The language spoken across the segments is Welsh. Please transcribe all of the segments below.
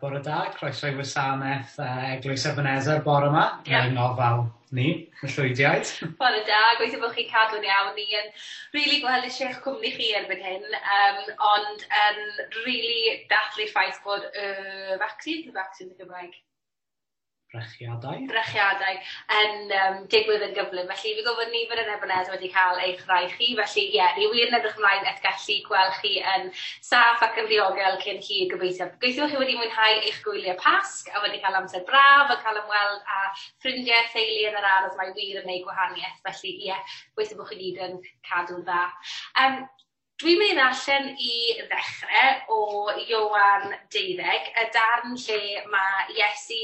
Bore da, croeso i wasanaeth Eglwys Ebenezer bore yma. Yeah. Yng ngofal ni, y llwydiaid. Bore da, gweithio bod chi'n cadw'n iawn. Ni yn rili gweld eisiau eich cwmni chi erbyn hyn, ond yn rili dathlu'r ffaith bod y vaccine, y vaccine yn Gymraeg, Brechiadau. Brechiadau yn digwydd yn gyflym. Felly fi gwybod nifer yn Ebenezer wedi cael eich rhai chi. Felly ie, ni wir yn edrych ymlaen at gallu gweld chi yn saff ac yn ddiogel cyn hir gobeithio. Gobeithio chi wedi mwynhau eich gwyliau Pasg a wedi cael amser braf a cael ymweld â ffrindiau, theulu yn yr ardd. Mae wir yn gwneud gwahaniaeth. Felly ie, gobeithio bod chi gyd yn cadw'n dda. Dwi'n mynd i ddarllen i ddechrau o Ioan 12, y darn lle mae Iesu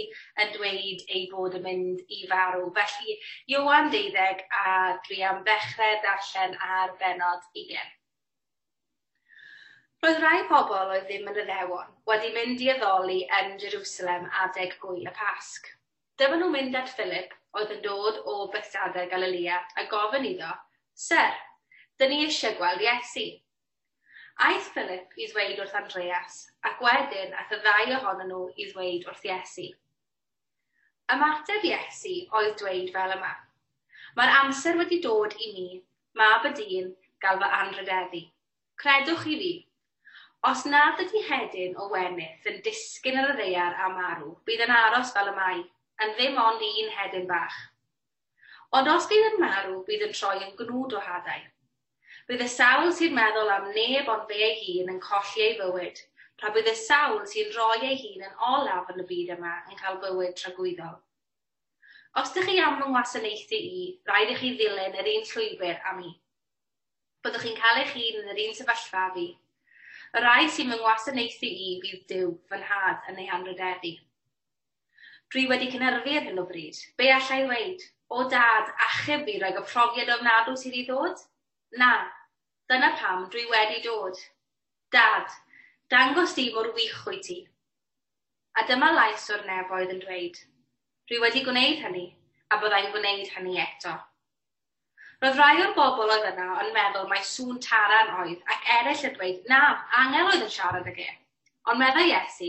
yn dweud ei fod yn mynd i farw. Felly, Ioan 12, a dwi am ddechrau darllen ar bennod 20. Roedd rhai pobl oedd ddim yn Iddewon wedi mynd i addoli yn Jerusalem adeg gwyl y Pasg. Dyma nhw'n mynd at Philip, oedd yn dod o Bethsaida Galilea, a gofyn iddo, Syr, dyn ni eisiau gweld Iesu. Aeth Philip i ddweud wrth Andreas, ac wedyn aeth y ddau ohonyn nhw i ddweud wrth Iesu. Ymateb Iesu oedd dweud fel yma, Mae'r amser wedi dod i mi, mab y dyn, gael fy anrhydeddu. Credwch chi fi. Os nad ydy hedyn o wenith yn disgyn ar y ddaear a marw, bydd yn aros fel y mae, yn ddim ond un hedyn bach. Ond os bydd yn marw, bydd yn troi yn gnwd o hadau. Bydd y sawl sy'n meddwl am neb ond fe ei hun yn colli ei fywyd, tra bydd y sawl sy'n rhoi ei hun yn olaf yn y byd yma yn cael bywyd tragwyddol. Os ydych chi am fy ngwasanaethu i, rhaid i chi ddilyn yr un llwybr â mi. Byddwch chi'n cael eich hun yn yr un sefyllfa â fi. Y rhai sy'n fy ngwasanaethu i fydd Duw, fy nhad, yn ei hanrhydeddu. Dwi wedi cynhyrfu ar hyn o bryd. Be alla i ddweud? O dad, achub fi rhag y profiad ofnadw sydd i ddod? Na, dyna pam dwi wedi dod. Dad, dangos di mor wych wyt ti. A dyma lais o'r nefoedd yn dweud, Dwi wedi gwneud hynny, a byddai'n gwneud hynny eto. Roedd rhai o'r bobl oedd yna yn meddwl mai sŵn taran oedd, ac eraill yn dweud, na, angel oedd yn siarad ag e. Ond meddai Iesu,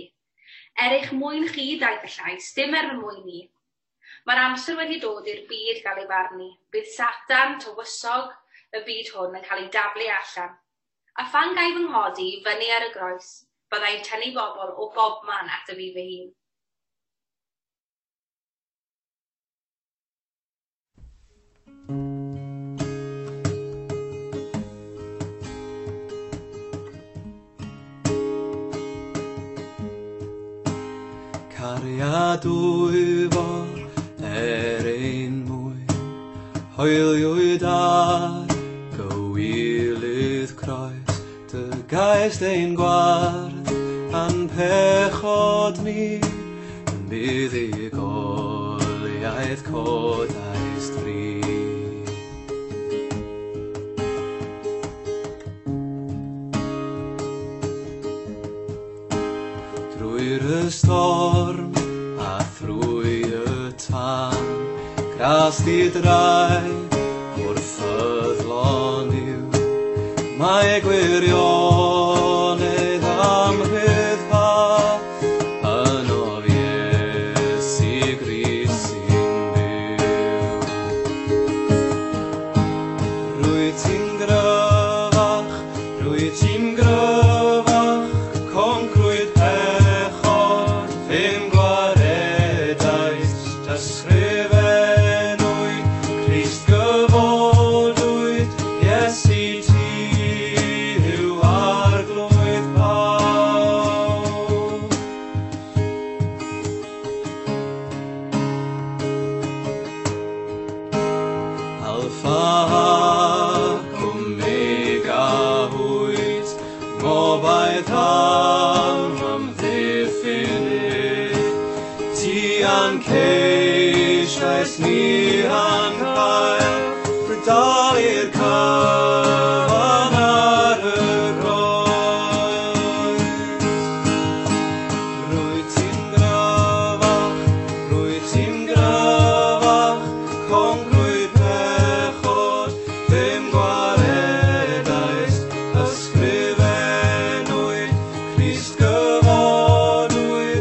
er eich mwyn chi daeth y llais, dim er fy mwyn i. Mae'r amser wedi dod i'r byd gael ei farnu. Bydd Satan, tywysog y byd hwn, yn cael ei daflu allan. A phan gai fy nghodi i fyny ar y groes, byddai'n tynnu bobl o bobman ato fi fy hun. Cariad dwyfol er ein mwyn, hoeliwyd ar gywilydd croes, dy gaist ein gwarth a'n pechod ni, yn buddugoliaeth codaist fri. Drwy'r ystorm a thrwy y tân, gras di drai wrth ffyddlon yw, mae gwirionedd am rhyddhad ynof Iesu Grist sy'n byw. Rwyt ti'n gryfach, rwyt ti'n gryfach, concrwyd pechod, fe'm gwaredais, ysgrifennwyd, Crist gyfodwyd, Iesu ti yw arglwydd pawb. Alpha ac Omega wyt, ngobaith am amddiffynnydd, ti a'n ceisiais ni a'n cael, dalu'r cyfan ar y groes. Rwyt ti'n gryfach, rwyt ti'n gryfach, concrwyd pechod, fe'm gwaredais, ysgrifennwyd, Crist gyfodwyd,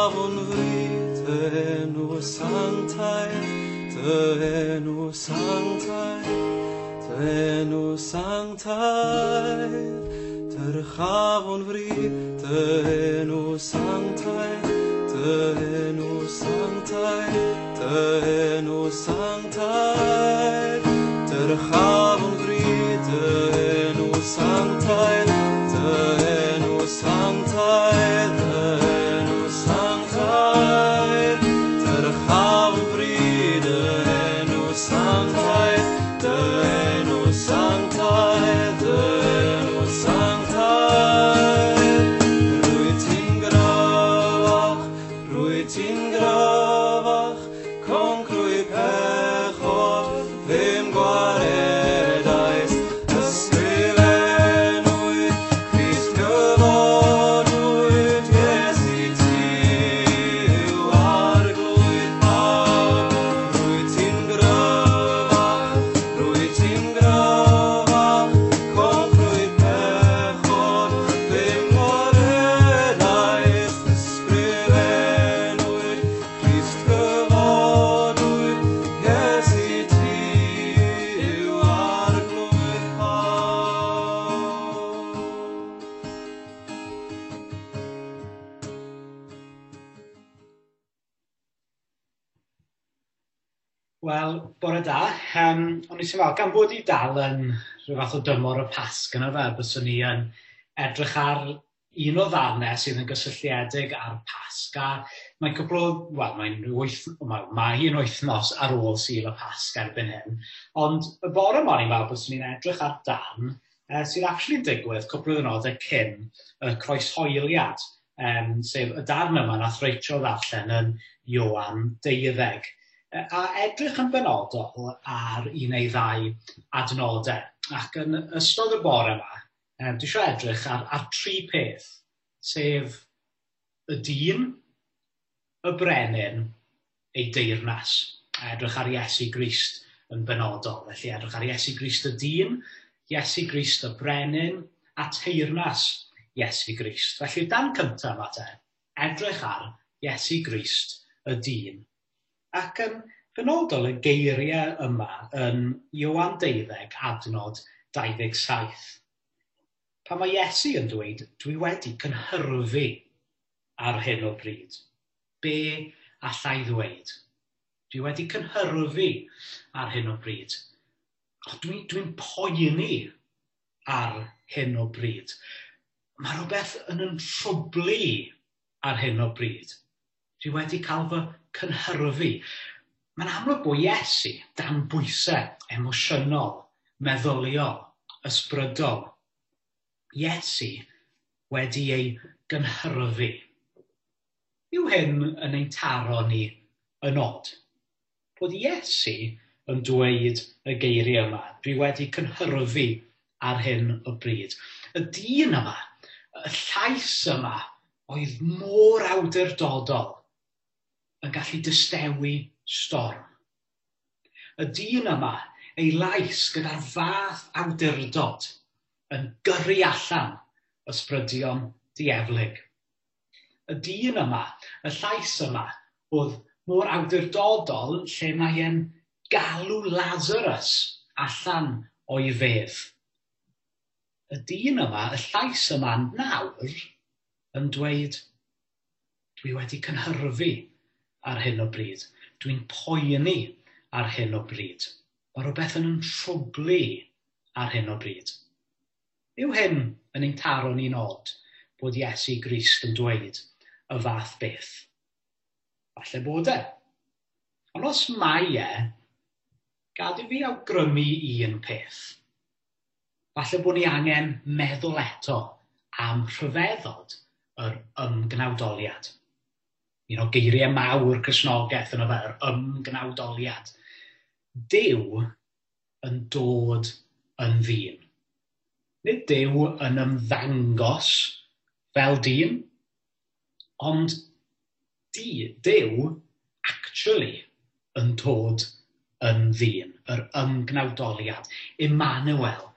Dyrchafwn fri dy enw sanctaidd, dy enw sanctaidd, dy enw sanctaidd. Dyrchafwn fri dy enw sanctaidd, dy enw sanctaidd, dy enw sanctaidd. Dyrchafwn fri dy enw sanctaidd, dy enw sanctaidd, dy enw sanctaidd. Dyrchafwn fri dy enw sanctaidd, dy enw sanctaidd, dy enw sanctaidd. Rwyt ti'n gryfach, rwyt ti'n gryfach, concrwy pechod, ddim gwaredais. Ysgrifennwyd, Crist gyfodwyd, Iesu ti yw arglwydd pawb. Rwyt ti'n gryfach, rwyt ti'n gryfach, concrwy pechod, ddim gwaredais. Ysgrifennwyd, Crist gyfodwyd, Iesu ti yw arglwydd pawb. Wel, bore da. O'n i eisiau fel, gan bod i dal yn rhyw fath o dymor y Pasg yna fe, byswn ni yn edrych ar un o ddarnau sydd yn gysylltiedig â'r Pasg, a mae'n cwpl o, wel, mae'n mae hi'n wythnos ar ôl Sul y Pasg erbyn hyn, ond y bore yma o'n i'n meddwl byswn ni'n edrych ar darn sydd actually'n digwydd cwpl o ddiwrnodau cyn y croeshoeliad, sef y darn yma nath Rachel ddarllen yn Ioan 12. A edrych yn benodol ar un neu ddau adnodau. Ac yn ystod y bore yma, dwi eisiau edrych ar tri peth, sef y dyn, y brenin, ei deyrnas. A edrych ar Iesu Grist yn benodol. Felly edrych ar Iesu Grist y dyn, Iesu Grist y brenin, a teyrnas Iesu Grist. Felly dan cyntaf yma te, edrych ar Iesu Grist y dyn. Ac yn benodol y geiriau yma yn Ioan 12 adnod 27. Pan mae Iesu yn dweud, dwi wedi cynhyrfu ar hyn o bryd. Be allai ddweud? Dwi wedi cynhyrfu ar hyn o bryd. Dwi'n poeni ar hyn o bryd. Mae rhywbeth yn trwblu ar hyn o bryd. Dwi wedi cael fy cynhyrfu. Mae'n amlwg bod Iesu dan bwysau emosiynol, meddyliol, ysbrydol. Iesu wedi ei gynhyrfu. Yw hyn yn ein taro ni yn od? Bod Iesu yn dweud y geiriau yma, dwi wedi cynhyrfu ar hyn o bryd. Y dyn yma, y llais yma, oedd mor awdurdodol yn gallu distewi storm. Y dyn yma, ei lais gyda'r fath awdurdod yn gyrru allan ysbrydion dieflig. Y dyn yma, y llais yma, oedd mor awdurdodol lle mae e'n galw Lazarus allan o'i fedd. Y dyn yma, y llais yma nawr, yn dweud, dwi wedi cynhyrfu ar hyn o bryd. Dwi'n poeni ar hyn o bryd. Mae rhywbeth yn trwblu ar hyn o bryd. Yw hyn yn ein taro ni'n od bod Iesu Grist yn dweud y fath beth? Falle bod e. Ond os mae e, gad i fi awgrymu un peth. Falle bod ni angen meddwl eto am rhyfeddod yr ymgnawdoliad. Un o geiriau mawr Cristnogaeth yno fe, yr ymgnawdoliad. Duw yn dod yn ddyn. Nid Duw yn ymddangos fel dyn, ond Duw actually yn dod yn ddyn, yr ymgnawdoliad. Emmanuel,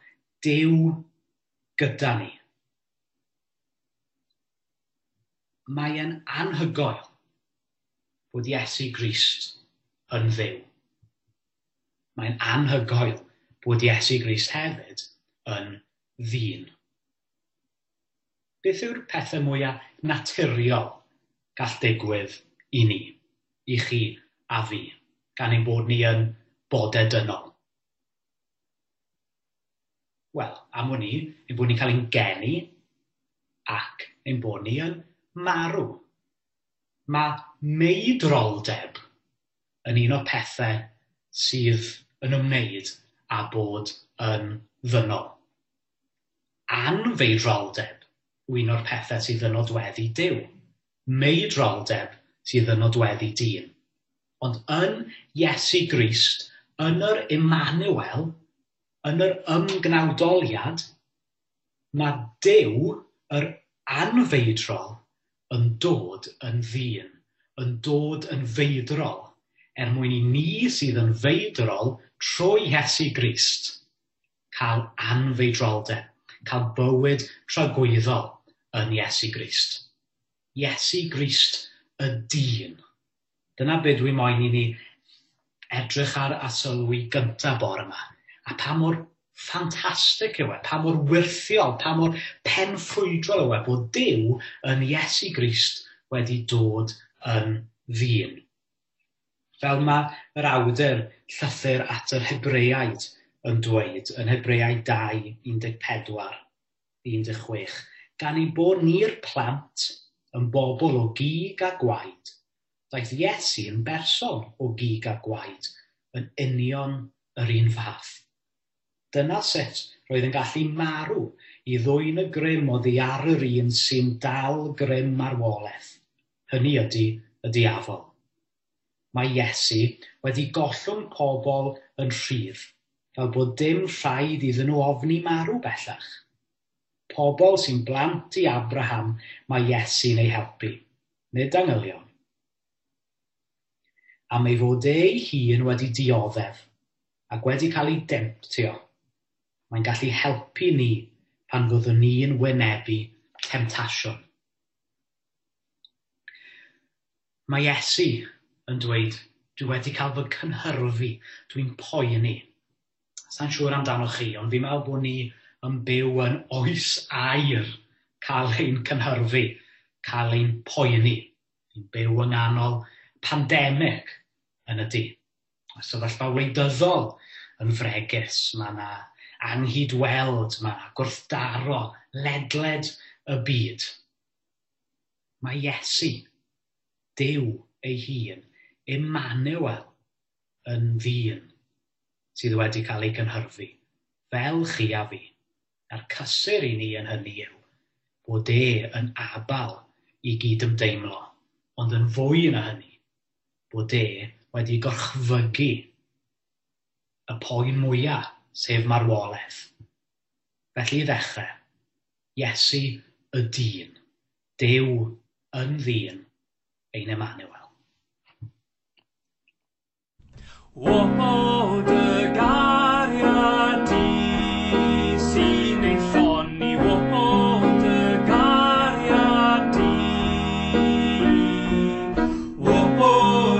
Duw gyda ni. Mae e'n anhygoel bod Iesu Grist yn Dduw. Mae'n anhygoel bod Iesu Grist hefyd yn ddyn. Beth yw'r pethau mwyaf naturiol gall digwydd i ni, i chi a fi, gan ein bod ni yn bodau dynol? Wel, am wn i, ein bod ni'n cael ein geni ac ein bod ni yn marw. Mae meidroldeb yn un o'r pethau sydd yn ymwneud â bod yn ddynol. Anfeidroldeb yw un o'r pethau sydd yn nodweddu Duw. Meidroldeb sydd yn nodweddu dyn. Ond yn Iesu Grist, yn yr Emmanuel, yn yr ymgnawdoliad, mae Duw, yr anfeidrol, yn dod yn ddyn, yn dod yn feidrol, er mwyn i ni sydd yn feidrol trwy Iesu Grist cael anfeidroldeb, cael bywyd tragwyddol yn Iesu Grist. Iesu Grist y dyn. Dyna be dwi moyn i ni edrych ar a sylwi gyntaf bore yma. A pa mor ffantastig yw e, pa mor wyrthiol, pa mor penffrwydrol yw e bod Duw yn Iesu Grist wedi dod yn ddyn. Fel mae yr awdur llythyr at yr Hebreaid yn dweud, yn Hebreaid 2, 14, 16, gan ein bod ni'r plant yn bobl o gig a gwaed, daeth Iesu yn berson o gig a gwaed yn union yr un fath. Dyna sut roedd yn gallu marw i ddwyn y grym oddi ar yr un sy'n dal grym marwolaeth. Hynny ydy y diafol. Mae Iesu wedi gollwng pobl yn rhydd, fel bod dim rhaid iddyn nhw ofni marw bellach. Pobl sy'n blant i Abraham mae Iesu'n ei helpu, nid angylion. Am ei fod ei hun wedi dioddef ac wedi cael ei demtio, mae'n gallu helpu ni pan fyddwn ni'n wynebu temtasiwn. Mae Iesu yn dweud, dwi wedi cael fy cynhyrfu, dwi'n poeni. Sa'n siŵr amdanoch chi, ond fi'n meddwl bod ni yn byw yn oes aur cael ein cynhyrfu, cael ein poeni. Ni'n byw yng nghanol pandemig yn y du. Mae sefyllfa wleidyddol yn fregus, mae yna anghydweld, mae yna gwrthdaro ledled y byd. Mae Iesu, Duw ei hun, Emmanuel, yn ddyn sydd wedi cael ei gynhyrfu, fel chi a fi. A'r cysur i ni yn hynny yw bod e yn abal i gydymdeimlo, ond yn fwy na hynny, bod e wedi gorchfygu y poen mwyaf, sef marwolaeth. Felly i ddechrau, Iesu y dyn, Duw yn ddyn, ein Emmanuel. O dy gariad di sy'n ein llonni, o dy gariad di. O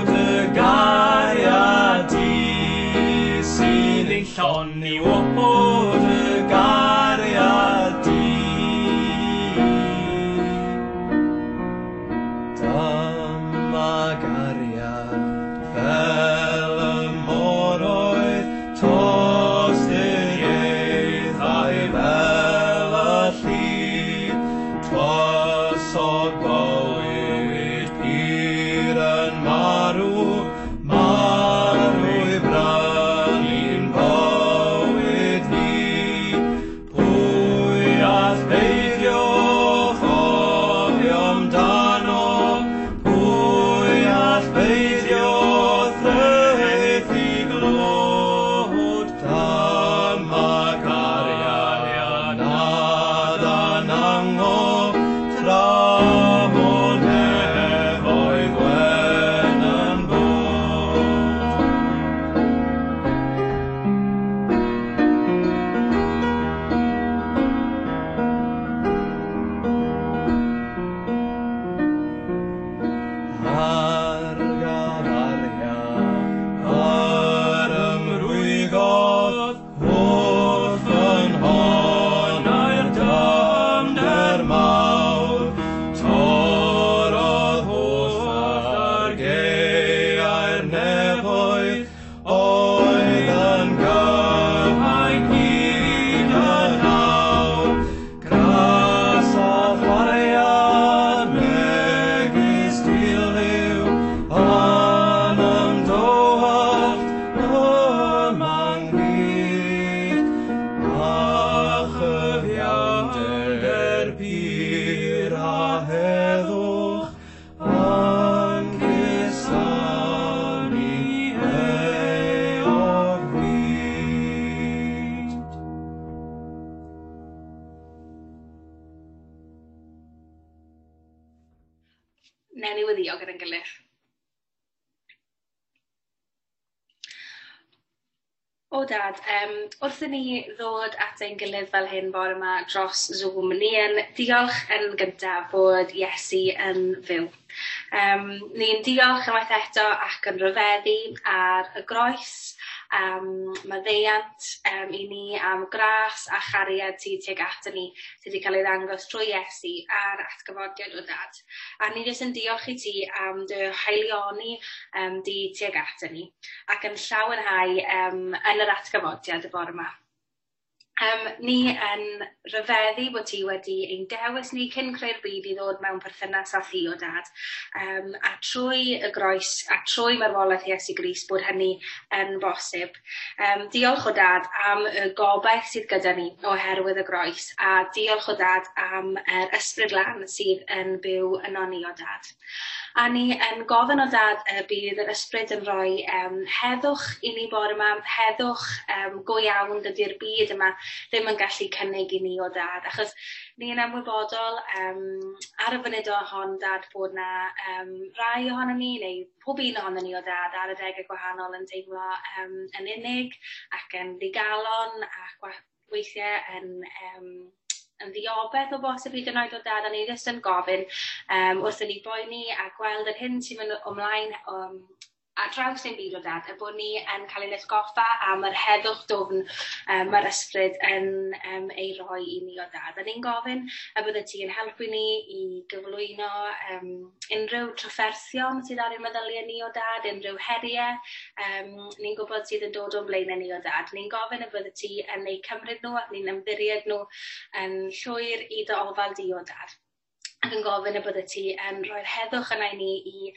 dy gariad di sy'n ein llonni, o dy gariad di. Dyma gariad fel y moroedd, tosturiaethau fel y llid, twysog bywyd pur yn marw, marw i brynu'n bywyd ni. Pwy all beidio chofio amdano? Pwy all beidio threthu glod? Dyma cariad nad anango, tra bo nefoedd wen yn bod. gilydd. O dad, wrth i ni ddod at ein gilydd fel hyn bore yma dros Zoom, ni yn diolch yn gyntaf bod Iesu yn fyw. Ni'n diolch unwaith eto ac yn rhyfeddu ar y groes, am maddeuant i ni, am gras a chariad ti tuag ato ni sydd wedi cael ei ddangos trwy Iesu a'r atgyfodiad o dad. A ni jyst yn diolch i ti am dy haelioni di tuag ato ni ac yn llawenhau yn yr atgyfodiad y bore yma. Ni yn rhyfeddu bod ti wedi ein dewis ni cyn creu'r byd i ddod mewn perthynas â thi o dad. A trwy y groes a trwy marwolaeth Iesu Grist bod hynny yn bosib. Diolch o dad am y gobaith sydd gyda ni oherwydd y groes, a diolch o dad am yr ysbryd lân sydd yn byw yno ni o dad. A ni yn gofyn o dad y bydd yr ysbryd yn rhoi heddwch i ni bore yma, heddwch go iawn dydy'r byd yma ddim yn gallu cynnig i ni o dad, achos ni yn ymwybodol ar y funud o hon dad bod na rai ohonon ni, neu pob un ohonon ni o dad ar adegau gwahanol yn teimlo yn unig ac yn ddigalon ac weithiau yn ddiobeth o bosib hyd yn oed o dad, a ni jyst yn gofyn wrth i ni boeni a gweld yr hyn sy'n mynd ymlaen ar draws ein byd o dad, y bod ni yn cael ein atgoffa am yr heddwch dwfn mae'r ysbryd yn ei roi i ni o dad. A ni'n gofyn y bydde ti yn helpu ni i gyflwyno unrhyw trafferthion sydd ar ein meddyliau ni o dad, unrhyw heriau ni'n gwybod sydd yn dod o'n blaenau ni o dad. Ni'n gofyn y bydde ti yn eu cymryd nhw ac ni'n ymddiried nhw yn llwyr i dy ofal di o dad. Ac yn gofyn y bydde ti yn rhoi'r heddwch yna i ni i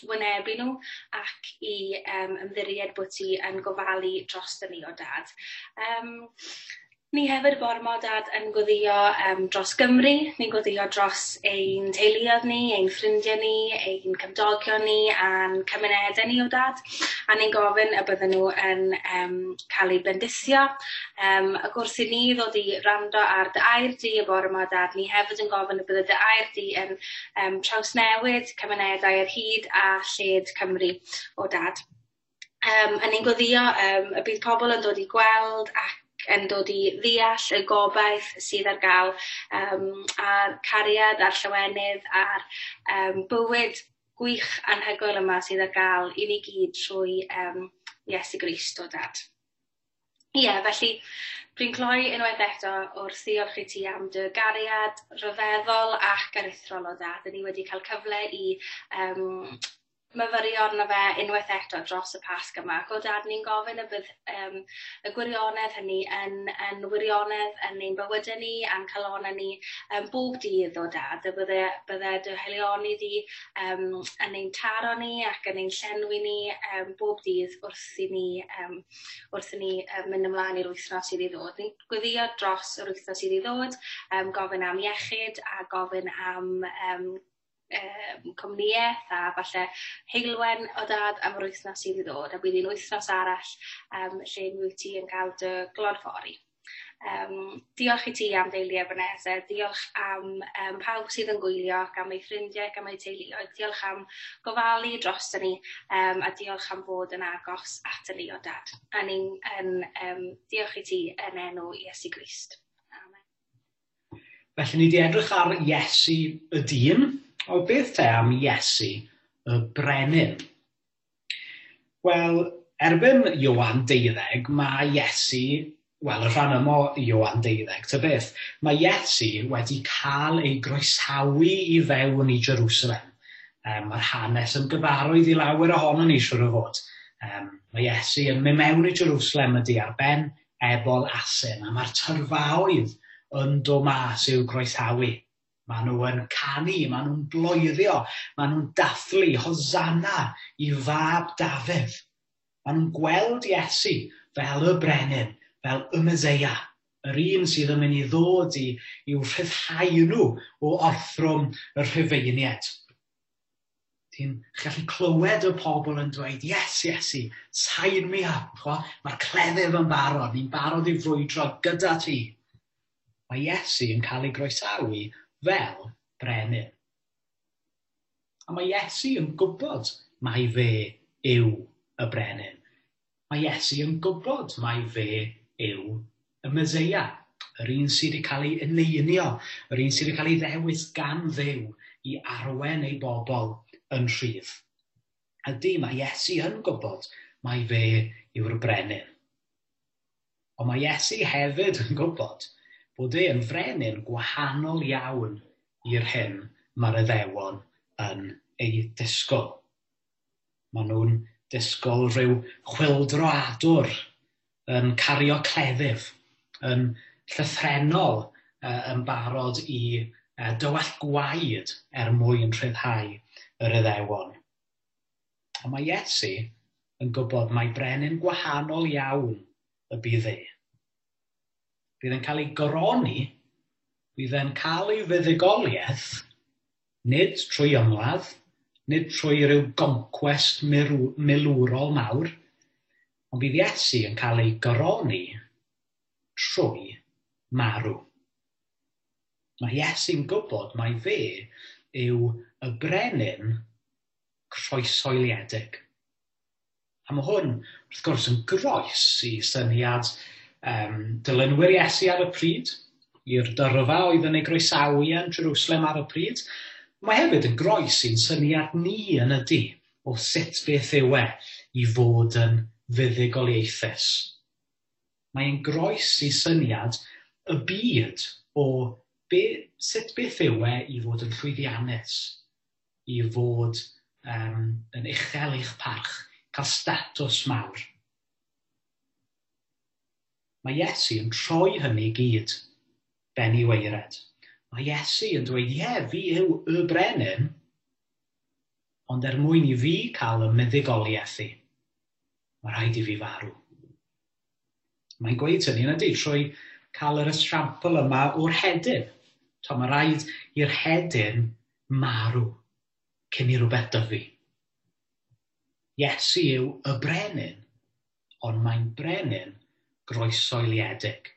wynebu nhw ac i ymddiried bod ti yn gofalu dros ni o dad. Ni hefyd bore 'ma dad yn gweddïo dros Gymru, ni'n gweddïo dros ein teuluoedd ni, ein ffrindiau ni, ein cymdogion ni a'n cymunedau ni o dad. A ni'n gofyn y bydden nhw yn cael eu bendithio. Ac wrth i ni ddod i wrando ar dy air di y bore 'ma dad, ni hefyd yn gofyn y bydde dy air di yn trawsnewid cymunedau ar hyd a lled Cymru o dad. A ni'n gweddïo y bydd pobl yn dod i gweld ac yn dod i ddeall y gobaith sydd ar gael, a'r cariad a'r llawenydd a'r bywyd gwych anhygoel yma sydd ar gael i ni gyd trwy Iesu Grist o dad. Ie, felly dwi'n cloi unwaith eto wrth ddiolch i ti am dy gariad rhyfeddol ac aruthrol o dad. Ni wedi cael cyfle i myfyrio arno fe unwaith eto dros y Pasg yma. Ac o dad, ni'n gofyn y bydd y gwirionedd hynny yn wirionedd yn ein bywydau ni a'n calonnau ni bob dydd o dad. Y bydde dy haelioni di yn ein taro ni ac yn ein llenwi ni bob dydd wrth i ni mynd ymlaen i'r wythnos sydd i ddod. Ni'n gweddïo dros yr wythnos sydd i ddod, gofyn am iechyd a gofyn am cwmnïaeth a falle heulwen o dad am yr wythnos sydd i ddod, a bydd hi'n wythnos arall lle wyt ti yn cael dy glodfori. Diolch i ti am deulu Ebenezer, diolch am pawb sydd yn gwylio ac am eu ffrindiau ac am eu teuluoedd, diolch am gofalu drosto ni a diolch am fod yn agos at ni o dad. A ni'n diolch i ti yn enw Iesu Grist. Amen. Felly ni wedi edrych ar Iesu y dyn. O beth te am Iesu y brenin? Wel, erbyn Ioan 12, mae Iesu, wel, y rhan yma o Ioan 12, ta beth, mae Iesu wedi cael ei groesawu i fewn i Jerusalem. Mae'r hanes yn gyfarwydd i lawer ohonon ni, siŵr o fod. Mae Iesu yn mynd mewn i Jerusalem ydi ar ben ebol asyn, a mae'r tyrfaoedd yn dod mas i'w groesawu. Maen nhw yn canu, maen nhw'n bloeddio, maen nhw'n dathlu Hosanna i fab Dafydd. Maen nhw'n gweld Iesu fel y brenin, fel y Meseia, yr un sydd yn mynd i ddod i'w rhyddhau nhw o orthrwm y Rhufeiniaid. Ti'n gallu clywed y pobl yn dweud, yes, Iesu, sign me up. Mae'r cleddyf yn barod, ni'n barod i frwydro gyda ti. Mae Iesu yn cael ei groesawu fel brenin. A mae Iesu yn gwybod mai fe yw y brenin. Mae Iesu yn gwybod mai fe yw y Meseia, yr un sydd wedi cael ei eneinio, yr un sydd wedi cael ei ddewis gan Dduw i arwen ei bobl yn rhydd. Ydy, mae Iesu yn gwybod mai fe yw'r brenin. Ond mae Iesu hefyd yn gwybod bod e yn frenin gwahanol iawn i'r hyn mae'r Iddewon yn ei disgwyl. Maen nhw'n disgwyl rhyw chwyldroadwr yn cario cleddyf, yn llythrennol yn barod i dywallt gwaed er mwyn rhyddhau yr Iddewon. Ond mae Iesu yn gwybod mai brenin gwahanol iawn y bydd e. Bydd e'n cael ei goroni, bydd e'n cael ei fuddugoliaeth, nid trwy ymladd, nid trwy ryw goncwest milwrol mawr, ond bydd Iesu yn cael ei goroni trwy marw. Mae Iesu'n gwybod mai fe yw y brenin croeshoeliedig. A mae hwn, wrth gwrs, yn groes i syniad dilynwyr Iesu ar y pryd, i'r dyrfa oedd yn ei groesawu yn Jerusalem ar y pryd. Mae hefyd yn groes i'n syniad ni yn y du o sut beth yw e i fod yn fuddugoliaethus. Mae'n groes i syniad y byd o sut beth yw e i fod yn llwyddiannus, i fod yn uchel eich parch, cael statws mawr. Mae Iesu yn troi hynny i gyd ben i waered. Mae Iesu yn dweud, ie, fi yw y brenin, ond er mwyn i fi cael y muddugoliaeth i, mae rhaid i fi farw. Mae'n gweud hynny yn ydy trwy cael yr esiampl yma o'r hedyn. Mae rhaid i'r hedyn marw cyn i rhywbeth dyfu. Iesu yw y brenin, ond mae'n brenin groeshoeliedig.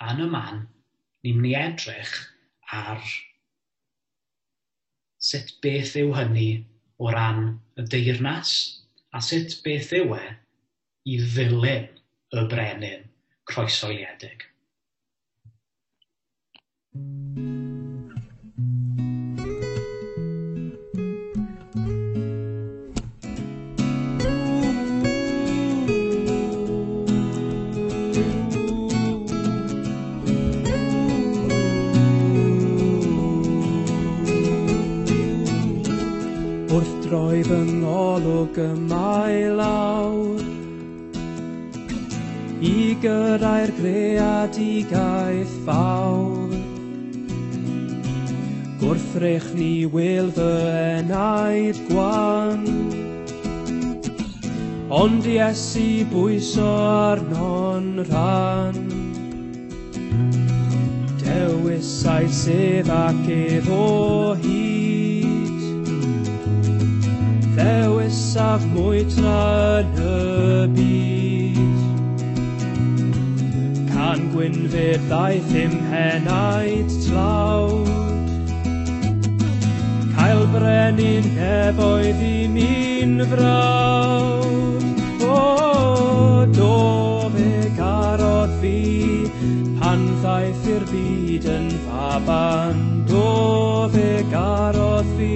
A yn y man, ni'n mynd i edrych ar sut beth yw hynny o ran y deyrnas, a sut beth yw e i ddilyn y brenin croeshoeliedig. Wrth droi fy ngolwg yma i lawr i gyrraedd greadigaeth fawr, gwrthrych ni wil fy enaid gwan, ond Iesu bwyso arno'n rhan. Dewisai sef ac ef o hyd, ddewisaf mwy tra yn y byd. Can gwynfyd ddaeth i'm henaid tlawd, cael brenin nefoedd i mi'n frawd. O, do fe garodd fi, pan ddaeth i'r byd yn faban. Do fe garodd fi,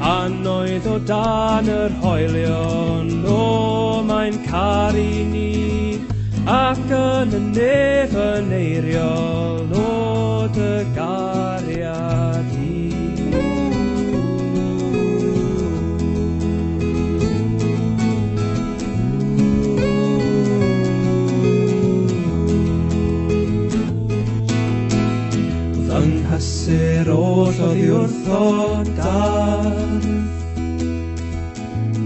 pan oedd o dan yr hoelion. O, mae'n caru ni, ac yn y nef yn eiriol, o dy gariad i. Fy nghysur oll oddi wrtho dardd,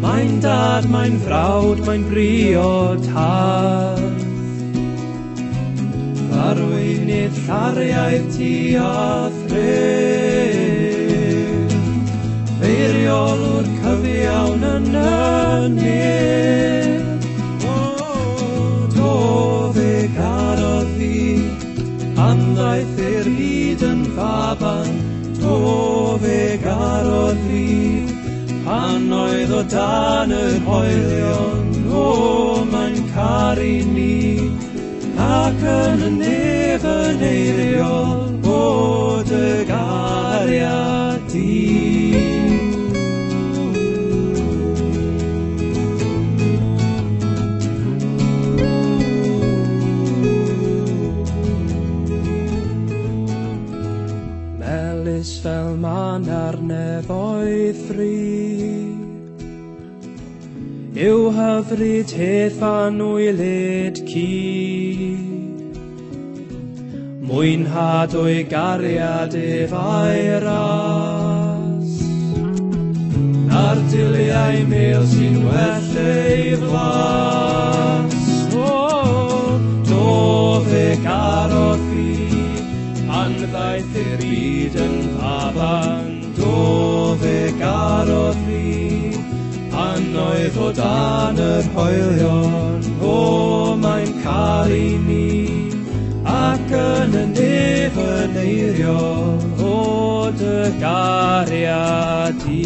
mae'n dad, mae'n frawd, mae'n briod hardd. Arweinydd llariaidd ti a thref, eiriolwr cyfiawn yn y nef. O, do fe garodd fi, pan ddaeth i'r byd yn faban. Do fe garodd Pan oedd o dan yr hoelion, o, mae'n caru ni, ac yn y nef yn eiriol, o dy gariad di. Melys fel man ar nefoedd fri, yw hyfryd hedd anwylyd ci. Mwynhad o'i gariad ef a'i ras, na'r diliau mel sy'n well ei flas. O, do fe garodd fi, pan ddaeth i'r byd yn faban. Do fe garodd fi, pan oedd o dan yr hoelion. O, mae'n caru ni, ac yn y nef yn eiriol, o dy gariad di.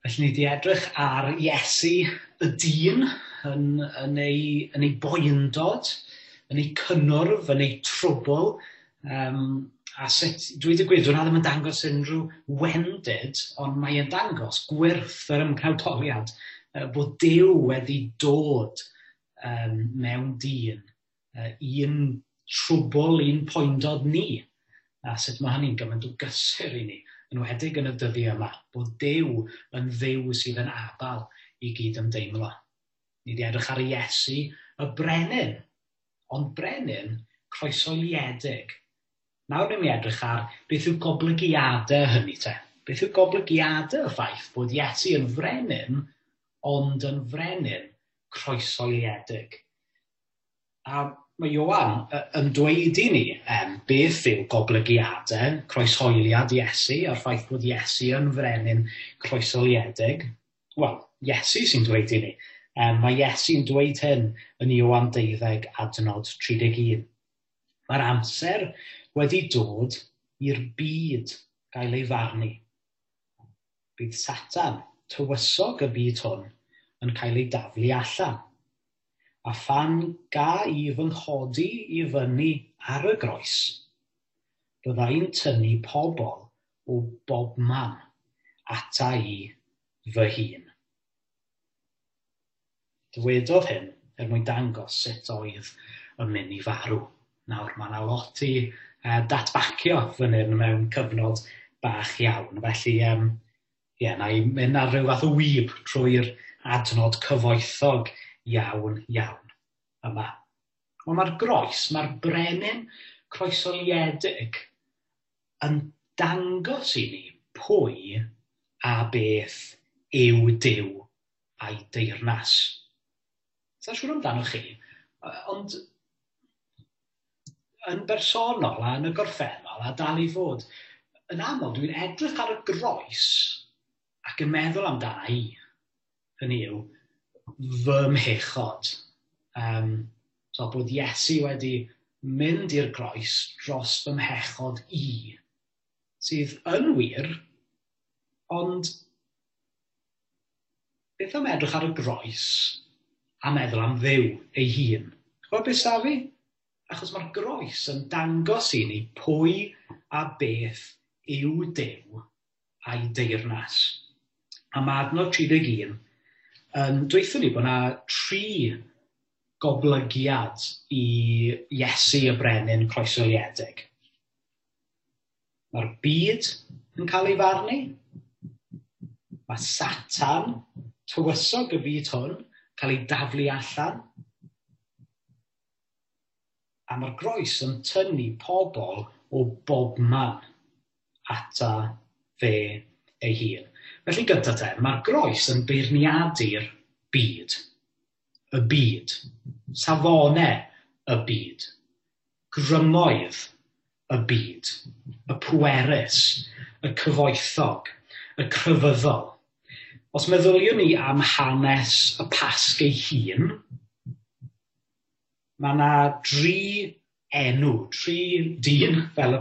Felly ni wedi edrych ar Iesu y dyn yn ei boendod, yn ei cynnwrf, yn ei trwbl, a sut, dweud y gwir, dwi'n ddim yn dangos unrhyw wendid, ond mae'n dangos gwyrth yr ymgnawdoliad, bod Duw wedi dod mewn dyn, un trwbl, un poendod ni, a sut mae hynny'n gymaint o gysur i ni, enwedig yn y dyddiau yma, bod Duw yn Dduw sydd yn abal i gyd ymdeimlo. Ni wedi edrych ar Iesu y brenin, ond brenin croeshoeliedig. Nawr ni'n edrych ar beth yw goblygiadau hynny te. Beth yw goblygiadau y ffaith bod Iesu yn frenin, ond yn frenin croeshoeliedig. A mae Ioan yn dweud i ni beth yw goblygiadau croeshoeliad Iesu a'r ffaith bod Iesu yn frenin croeshoeliedig. Wel, Iesu sy'n dweud i ni. Mae Iesu'n dweud hyn yn Ioan 12 adnod 31. Mae'r amser wedi dod i'r byd gael ei farnu. Bydd Satan, tywysog y byd hwn, yn cael ei daflu allan. A phan ga i fy nghodi i fyny ar y groes, byddai'n tynnu pobl o bobman ata i fy hun. Dywedodd hyn er mwyn dangos sut oedd yn mynd i farw. Nawr, mae yna lot i datbacio fan hyn mewn cyfnod bach iawn. Felly, na i mynd ar ryw fath o wyb trwy'r adnod cyfoethog iawn, iawn yma. Ond mae'r groes, mae'r brenin croeshoeliedig yn dangos i ni pwy a beth yw Duw a'i deyrnas. Sa'n siŵr amdano chi, ond yn bersonol a yn y gorffennol a dal i fod, yn aml dwi'n edrych ar y groes ac yn meddwl amdana i. Hynny yw, fy mhechod. So bod Iesu wedi mynd i'r groes dros fy mhechod i, sydd yn wir, ond beth am edrych ar y groes a meddwl am Dduw ei hun? Ch'mod beth sa fi? Achos mae'r groes yn dangos i ni pwy a beth yw Duw a'i deyrnas. A mae adnod 31 yn dweutho ni bod yna 3 goblygiad i Iesu y brenin croeshoeliedig. Mae'r byd yn cael ei farnu. Mae Satan, tywysog y byd hwn, cael ei daflu allan. A mae'r groes yn tynnu pobl o bobman ata fe ei hun. Felly gyda te, mae'r groes yn beirniadu'r byd. Y byd. Safonau y byd, grymoedd y byd, y pwerus, y cyfoethog, y crefyddol. Os meddyliwn ni am hanes y Pasg ei hun, mae yna dri enw, tri dyn, fel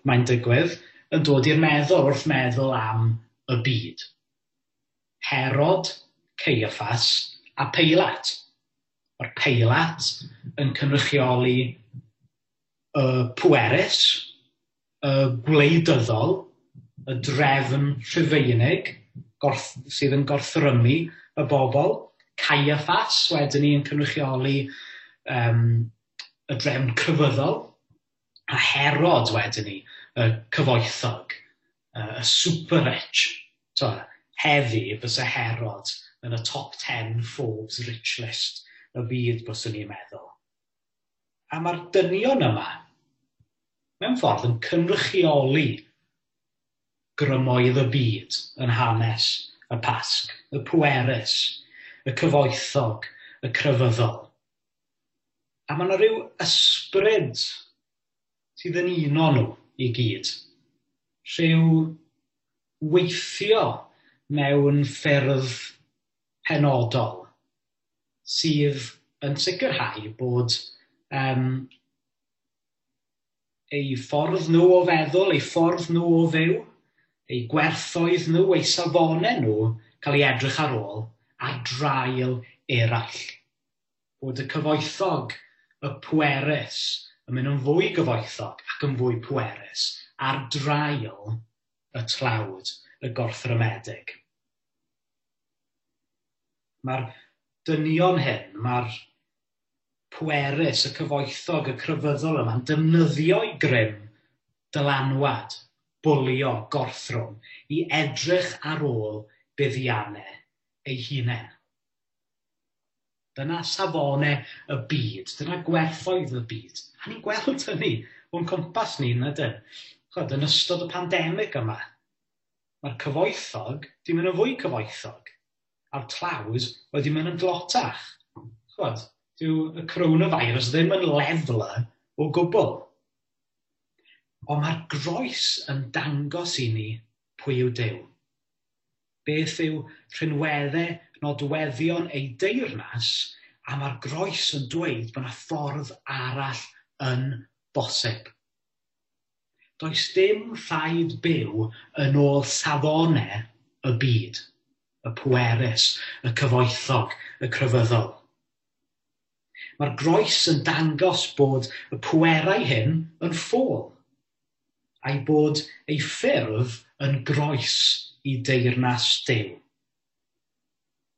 mae'n digwydd, yn dod i'r meddwl wrth meddwl am y byd. Herod, Caiaffas a Peilat. Mae'r Peilat yn cynrychioli y pwerus, y gwleidyddol, y drefn Rhufeinig sydd yn gorthrymu y bobl. Caiaffas wedyn ni yn cynrychioli y drefn crefyddol, a Herod wedyn ni, y cyfoethog, y super rich. So, heddi bysa Herod yn y top 10 Forbes rich list y byd, byswn ni'n meddwl. A mae'r dynion yma, mewn ffordd, yn cynrychioli grymoedd y byd yn hanes y Pasg, y pwerus, y cyfoethog, y crefyddol. A mae yna rhyw ysbryd sydd yn uno nhw i gyd. Rhyw weithio mewn ffyrdd penodol sydd yn sicrhau bod eu ffordd nhw o feddwl, eu ffordd nhw o fyw, eu gwerthoedd nhw, eu safonau nhw cael ei edrych ar ôl ar draul eraill. Bod y cyfoethog, y pwerus, yn mynd yn fwy gyfoethog ac yn fwy pwerus ar draul y tlawd, y gorthrymedig. Mae'r dynion hyn, mae'r pwerus, y cyfoethog, y crefyddol yma'n defnyddio'i grym, dylanwad, bwlio, gorthrwm, i edrych ar ôl buddiannau ei hunain. Dyna safonau y byd, dyna gwerthoedd y byd. A ni'n gweld hynny o'n cwmpas ni, yn ydyn? Chod, yn ystod y pandemig yma, mae'r cyfoethog di mynd yn fwy cyfoethog, a'r tlawd wedi mynd yn dlotach. Chod, dyw y coronavirus ddim yn leveler o gwbl. Ond mae'r groes yn dangos i ni pwy yw Duw. Beth yw rhinweddau, nodweddion ei deyrnas, a mae'r groes yn dweud bod yna ffordd arall yn bosib. Does dim rhaid byw yn ôl safonau y byd, y pwerus, y cyfoethog, y crefyddol. Mae'r groes yn dangos bod y pwerau hyn yn ffôl, a'i bod ei ffurf yn groes i deyrnas Duw.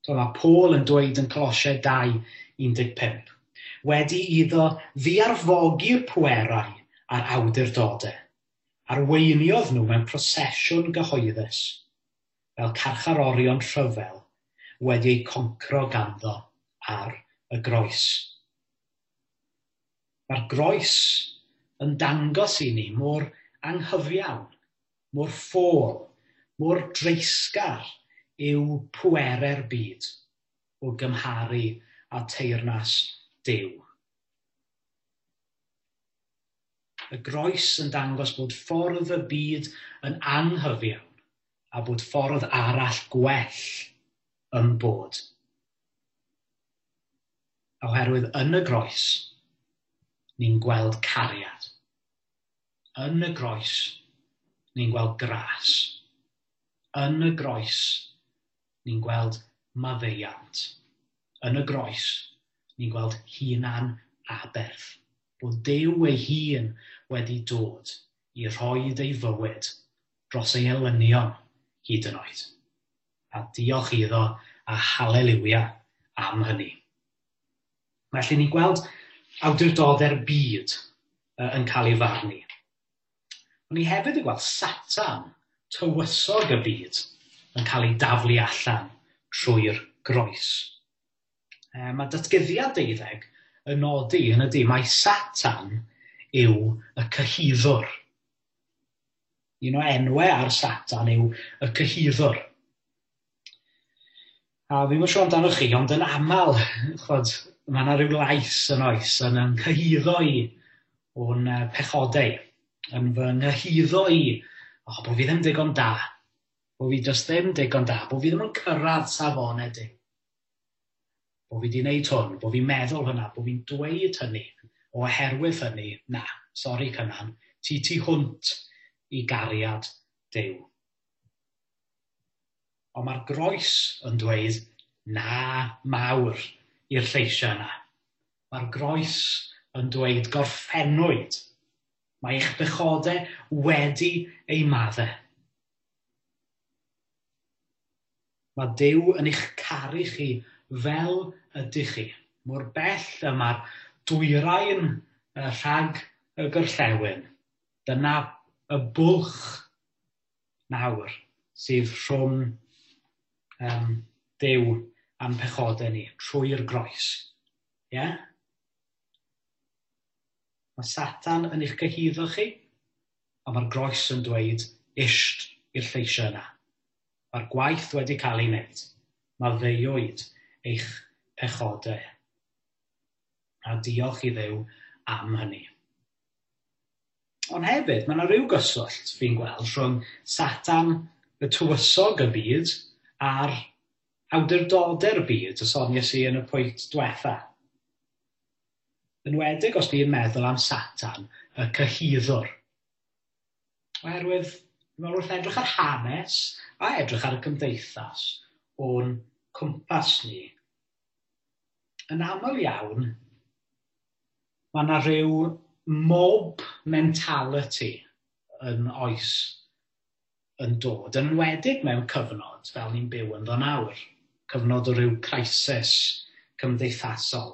So mae Paul yn dweud yn Colosiaid 2:15, wedi iddo ddiarfogi'r pwerau a'r awdurdodau, arweiniodd nhw mewn prosesiwn gyhoeddus, fel carcharorion rhyfel wedi eu concro ganddo ar y groes. Mae'r groes yn dangos i ni mor anghyfiawn, mor ffôl, mor dreisgar yw pwerau'r byd o gymharu â teyrnas Duw. Y groes yn dangos bod ffordd y byd yn anghyfiawn a bod ffordd arall gwell yn bod. Oherwydd yn y groes, ni'n gweld cariad. Yn y groes, ni'n gweld gras. Yn y groes, ni'n gweld maddeuant. Yn y groes, ni'n gweld hunan aberth. Bod Duw ei hun wedi dod i rhoid ei fywyd dros ei elynion hyd yn oed. A diolch iddo a haleliwia am hynny. Felly ni'n gweld awdurdodau'r byd yn cael ei farnu. Ond ni hefyd yn gweld Satan, tywysog y byd, yn cael ei daflu allan trwy'r groes. Mae Datguddiad 12 yn nodi yn ydy, mae Satan yw y cyhuddwr. Un o enwau ar Satan yw y cyhuddwr. A fi'n siŵr amdanoch chi, ond yn aml, chod, mae yna rhyw lais yn oes yn ynghyhuddo i o'n pechodau, yn fy nghyhuddo i, o, bod fi ddim digon da, bod fi jyst ddim digon da, bod fi ddim yn cyrraedd safonau di. Bod fi wedi gwneud hwn, bod fi'n meddwl hynna, bod fi'n dweud hynny, oherwydd hynny, na, sori Cynan, ti tu hwnt i gariad Duw. Ond mae'r groes yn dweud na mawr i'r lleisiau yna. Mae'r groes yn dweud gorffennwyd. Mae eich bechodau wedi ei maddau. Mae Duw yn eich caru chi fel ydych chi. Mor bell y mae'r dwyrain rhag y gorllewin. Dyna y bwlch nawr sydd rhwng Duw a'n pechodau ni trwy'r groes. Ie? Yeah? Mae Satan yn eich cyhuddo chi, a mae'r groes yn dweud isht i'r lleisiau yna. Mae'r gwaith wedi cael ei wneud. Mae ddeuwyd eich pechodau. A diolch i Dduw am hynny. Ond hefyd, mae yna rhyw gyswllt fi'n gweld rhwng Satan, y tywysog y byd, a'r awdurdodau'r byd y soniais i yn y pwynt diwetha. Enwedig os ni'n meddwl am Satan, y cyhuddwr. Oherwydd, meddwl wrth edrych ar hanes a edrych ar y cymdeithas o'n cwmpas ni, yn aml iawn, mae yna rhyw mob mentality yn oes yn dod, yn enwedig mewn cyfnod fel ni'n byw ynddo nawr, cyfnod o ryw crisis cymdeithasol,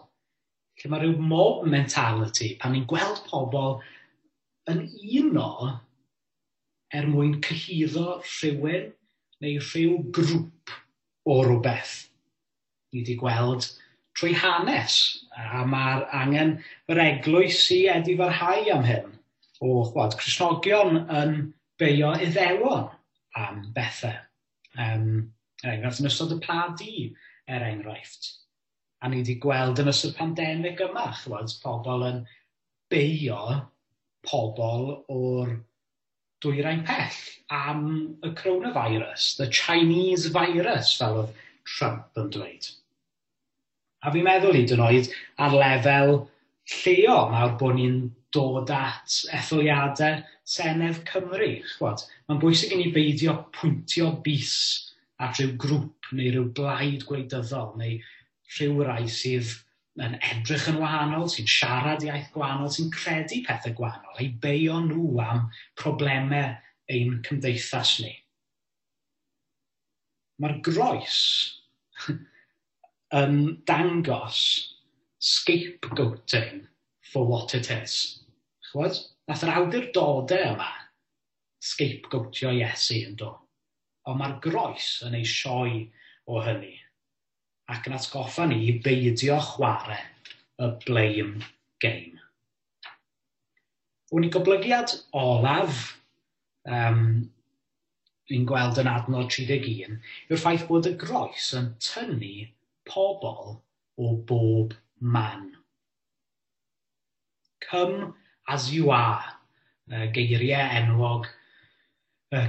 lle mae rhyw mob mentality pan ni'n gweld pobl yn uno er mwyn cyhuddo rhywun neu rhyw grŵp o rywbeth. Ni wedi gweld trwy hanes, a mae'r angen yr eglwys i edifarhau am hyn, o chwad, Cristnogion yn beio Iddewon am bethau. Er enghraifft, yn ystod y Pla Du, er enghraifft. A ni wedi gweld yn ystod pandemig yma, chwad, pobl yn beio pobl o'r dwyrain pell am y coronavirus, the Chinese virus, fel oedd Trump yn dweud. A fi'n meddwl hyd yn oed ar lefel lleol nawr bod ni'n dod at etholiadau Senedd Cymru. Chwod, mae'n bwysig i ni beidio pwyntio bys at rhyw grŵp neu rhyw blaid gwleidyddol neu rhyw rai sydd yn edrych yn wahanol, sy'n siarad iaith gwahanol, sy'n credu pethau gwahanol, eu beio nhw am problemau ein cymdeithas ni. Mae'r groes yn dangos scapegoating for what it is. Chwod? Nath yr awdurdodau yma scapegoatio Iesu yn do. Ond mae'r groes yn ei sioe o hynny. Ac yn atgoffa ni i beidio chwarae y blame game. Wn i goblygiad olaf ni'n gweld yn adnod 31 yw'r ffaith bod y groes yn tynnu pobl o bob man. Come as you are, geiriau enwog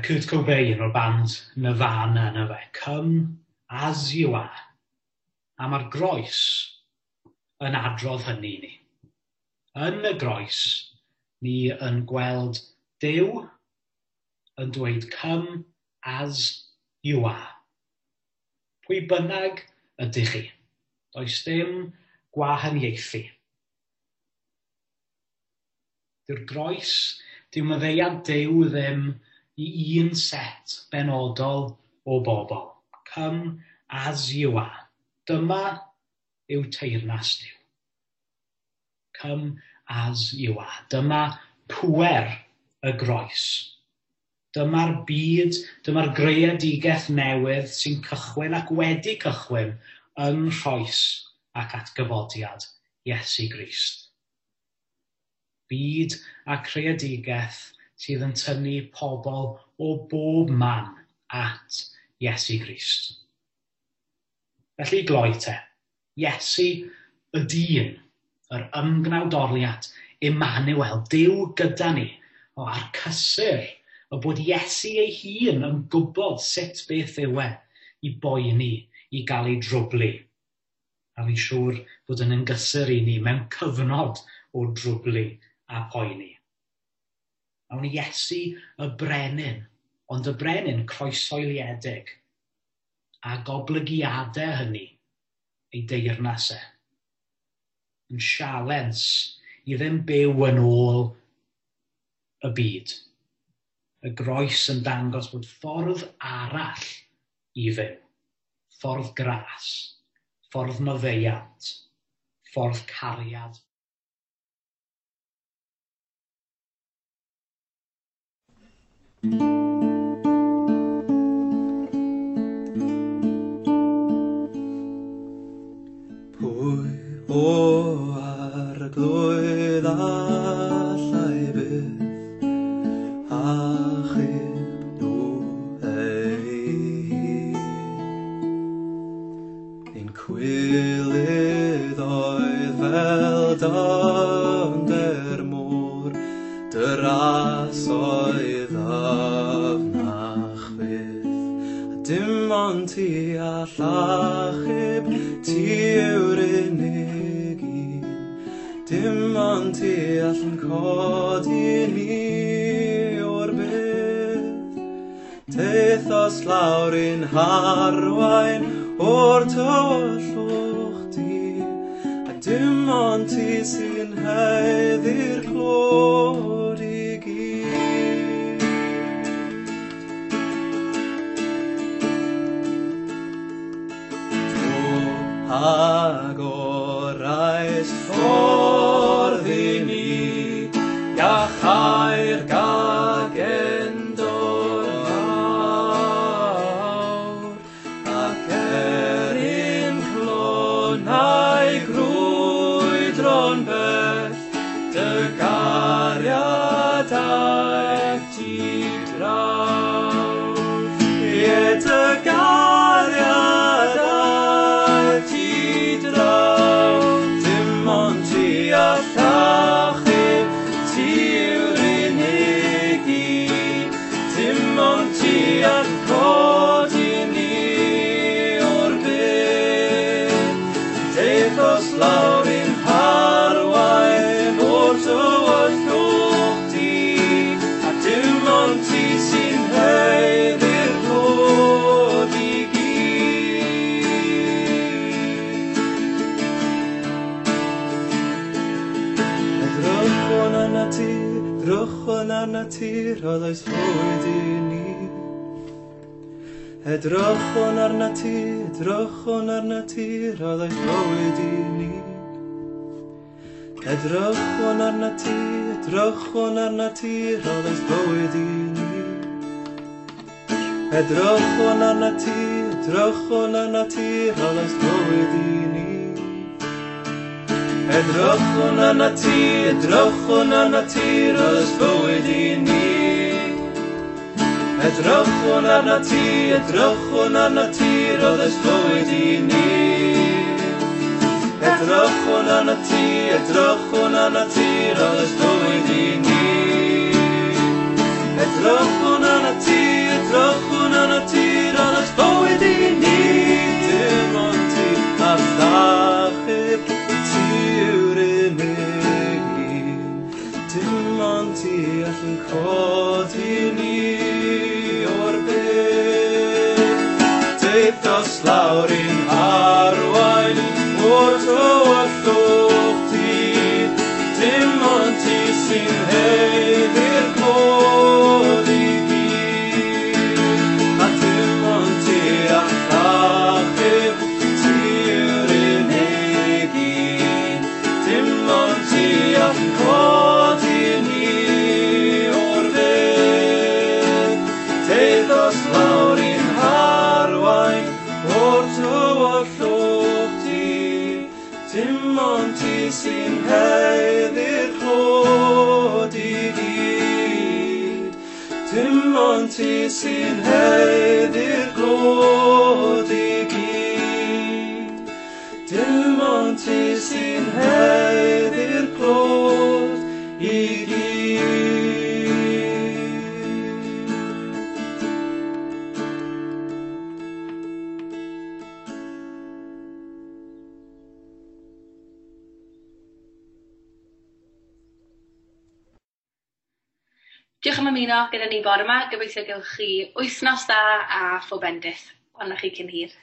Kurt Cobain o'r band Nirvana yna fe. Come as you are. A mae'r groes yn adrodd hynny i ni. Yn y groes, ni yn gweld Duw yn dweud come as you are. Pwy bynnag ydych chi. Does dim gwahaniaethu. Dyw'r groes, dyw maddeuant Duw ddim i un set benodol o bobl. Come as you are. Dyma yw teyrnas Duw. Come as you are. Dyma pŵer y groes. Dyma'r byd, dyma'r greadigaeth newydd sy'n cychwyn ac wedi cychwyn yng nghroes ac atgyfodiad Iesu Grist. Byd a creadigaeth sydd yn tynnu pobl o bob man at Iesu Grist. Felly gloi te, Iesu y dyn, yr ymgnawdoliad, Emmanuel, Duw gyda ni, o, a'r cysur o bod Iesu ei hun yn gwybod sut beth yw e i boeni, i gael ei drwblu. A fi'n siŵr bod yn gysur i ni mewn cyfnod o drwblu a poeni. Awn Iesu y brenin, ond y brenin croesoeliedig a goblygiadau hynny ei deyrnas e. Yn sialens i ddim byw yn ôl y byd. Y groes yn dangos bod ffordd arall i fyw. Ffordd gras, ffordd maddeuant, ffordd cariad. Pwy o Arglwydd allai byth achub nhw ei hun? Ein cwilydd oedd fel dyfnder môr, dy ras oedd ddyfnach fyth. A dim ond ti all achub, ti yw'r unig un. Dim ond ti all yn codi ni o'r bydd. Teithos lawr i'n harwain o'r tywyllwch di, a dim ond ti sy'n haeddu'r clod i gyd. Do agorais ffordd i ni, iachau'r gagendor fawr, ac er i'n clonau grwydro'n bell, dy gariad aeth ti draw. Ie, dy gariad aeth ti draw, dim ond ti all achub, ti yw'r unig un, dim ond ti all codi ni o'r bydd. Teithos lawr i'n harwain o'r tywyllwch di, a dim ond ti sy'n haeddu'r clod i gyd. Edrychwn arnat ti, edrychwn arnat ti, rhoddais fywyd i ni. Edrychwn arnat ti, edrychwn arnat ti, rhoddais fywyd i ni. Edrychwn arnat ti, edrychwn arnat ti, rhoddais fywyd i ni. Edrychwn arnat ti, edrychwn arnat ti, rhoddais fywyd i ni. Edrychwn arnat ti, edrychwn arnat ti, rhoddais fywyd i ni. Edrychwn arnat ti, edrychwn arnat ti, rhoddais fywyd i ni. Edrychwn arnat ti, edrychwn arnat ti, rhoddais fywyd i ni. Edrychwn arnat ti, edrychwn arnat ti, rhoddais fywyd i ni. Dim ond ti all achub, ti yw'r unig un. Dim ond ti all yn codi ni o'r bydd. Teithos lawr i'n harwain o'r tywyllwch di, dim ond ti sy'n haeddu'r clod i gyd. A dim ond ti all achub, ti yw'r unig un. Dim ond ti all codi ni o'r bydd. Teithos lawr i'n harwain o'r tywyllwch di, dim ond ti sy'n haeddu'r clod i gyd. Dim ond ti sy'n haeddu'r clod i gyd. Dim ond Ond ti sy'n heddi'r clod i gyd. Diolch am ymuno gyda ni bore yma. Gobeithio gewch chi wythnos dda a phob bendith. Welwn chi cyn hir.